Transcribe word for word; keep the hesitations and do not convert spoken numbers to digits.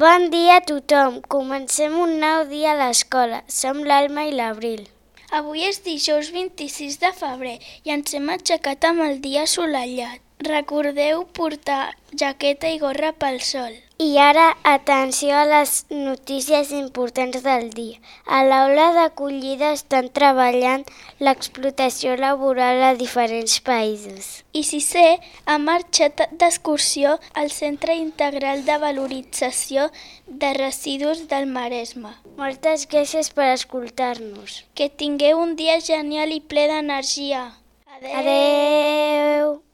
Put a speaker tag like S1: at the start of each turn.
S1: Bon dia a tothom. Comencem un nou dia a l'escola. Som l'Alma i l'Abril.
S2: Avui és dijous vint-i-sis de febrer i ens hem aixecat amb el dia assolellat. Recordeu portar jaqueta i gorra pel sol.
S1: I ara, atenció a les notícies importants del dia. A l'aula d'acollida estan treballant l'explotació laboral a diferents països.
S2: I sisè ha marxat d'excursió al Centre Integral de Valorització de Residus del Maresme.
S1: Moltes gràcies per escoltar-nos.
S2: Que tingueu un dia genial i ple d'energia.
S1: Adeu!